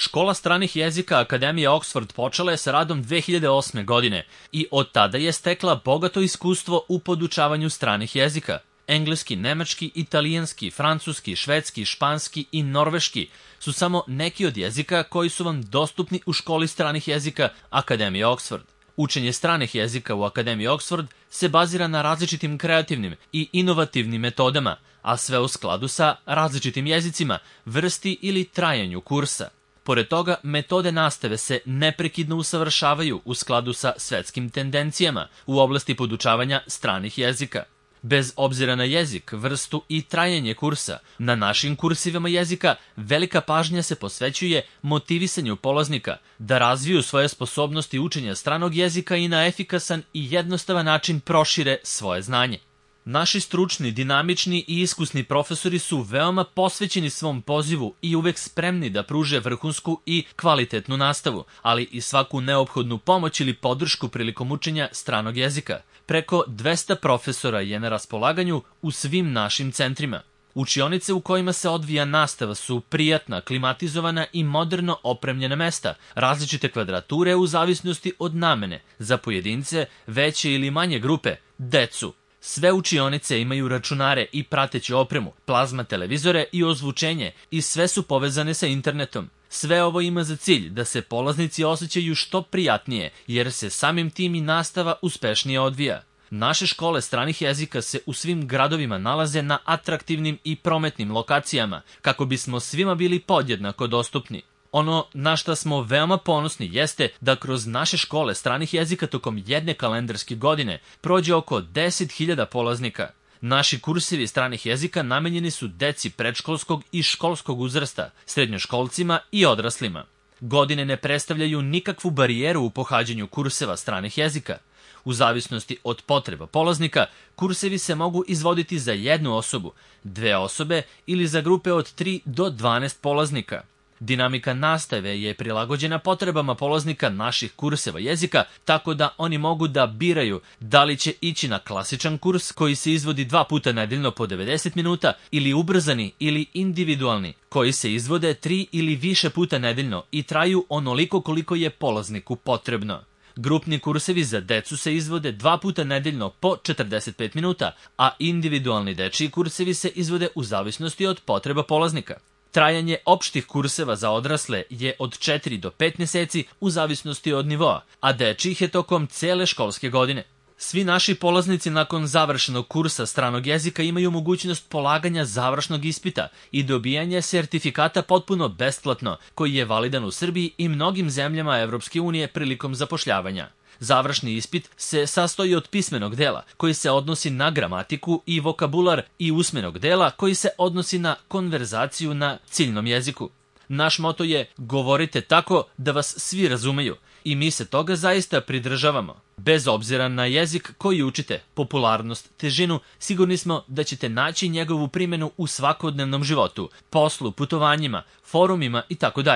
Škola stranih jezika Akademije Oxford počela je sa radom 2008. godine i od tada je stekla bogato iskustvo u podučavanju stranih jezika. Engleski, nemački, italijanski, francuski, švedski, španski i norveški su samo neki od jezika koji su vam dostupni u školi stranih jezika Akademije Oxford. Učenje stranih jezika u Akademiji Oxford se bazira na različitim kreativnim i inovativnim metodama, a sve u skladu sa različitim jezicima, vrsti ili trajanju kursa. Pored toga, metode nastave se neprekidno usavršavaju u skladu sa svetskim tendencijama u oblasti podučavanja stranih jezika. Bez obzira na jezik, vrstu i trajanje kursa, na našim kursivama jezika velika pažnja se posvećuje motivisanju polaznika da razviju svoje sposobnosti učenja stranog jezika i na efikasan i jednostavan način prošire svoje znanje. Naši stručni, dinamični i iskusni profesori su veoma posvećeni svom pozivu i uvek spremni da pruže vrhunsku i kvalitetnu nastavu, ali i svaku neophodnu pomoć ili podršku prilikom učenja stranog jezika. Preko 200 profesora je na raspolaganju u svim našim centrima. Učionice u kojima se odvija nastava su prijatna, klimatizovana i moderno opremljena mesta, različite kvadrature u zavisnosti od namene, za pojedince, veće ili manje grupe, decu. Sve učionice imaju računare i prateću opremu, plazma televizore i ozvučenje i sve su povezane sa internetom. Sve ovo ima za cilj da se polaznici osjećaju što prijatnije, jer se samim tim i nastava uspešnije odvija. Naše škole stranih jezika se u svim gradovima nalaze na atraktivnim i prometnim lokacijama, kako bismo svima bili podjednako dostupni. Ono na šta smo veoma ponosni jeste da kroz naše škole stranih jezika tokom jedne kalendarske godine prođe oko 10.000 polaznika. Naši kursevi stranih jezika namenjeni su deci predškolskog i školskog uzrasta, srednjoškolcima i odraslima. Godine ne predstavljaju nikakvu barijeru u pohađanju kurseva stranih jezika. U zavisnosti od potreba polaznika, kursevi se mogu izvoditi za jednu osobu, 2 osobe ili za grupe od 3 do 12 polaznika. Dinamika nastave je prilagođena potrebama polaznika naših kurseva jezika, tako da oni mogu da biraju da li će ići na klasičan kurs koji se izvodi 2 puta nedeljno po 90 minuta ili ubrzani ili individualni koji se izvode 3 ili više puta nedeljno i traju onoliko koliko je polazniku potrebno. Grupni kursevi za decu se izvode 2 puta nedeljno po 45 minuta, a individualni dečiji kursevi se izvode u zavisnosti od potreba polaznika. Trajanje opštih kurseva za odrasle je od 4 do 5 meseci u zavisnosti od nivoa, a dečijih je tokom cele školske godine. Svi naši polaznici nakon završenog kursa stranog jezika imaju mogućnost polaganja završnog ispita i dobijanja sertifikata potpuno besplatno, koji je validan u Srbiji i mnogim zemljama Evropske unije prilikom zapošljavanja. Završni ispit se sastoji od pismenog dela, koji se odnosi na gramatiku i vokabular, i usmenog dela, koji se odnosi na konverzaciju na ciljnom jeziku. Naš moto je govorite tako da vas svi razumeju i mi se toga zaista pridržavamo. Bez obzira na jezik koji učite, popularnost, težinu, sigurni smo da ćete naći njegovu primjenu u svakodnevnom životu, poslu, putovanjima, forumima itd.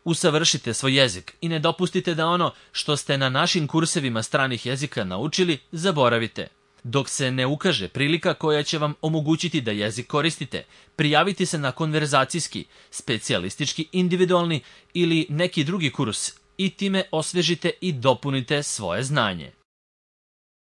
Usavršite svoj jezik i ne dopustite da ono što ste na našim kursevima stranih jezika naučili zaboravite. Dok se ne ukaže prilika koja će vam omogućiti da jezik koristite, prijavite se na konverzacijski, specijalistički, individualni ili neki drugi kurs i time osvežite i dopunite svoje znanje.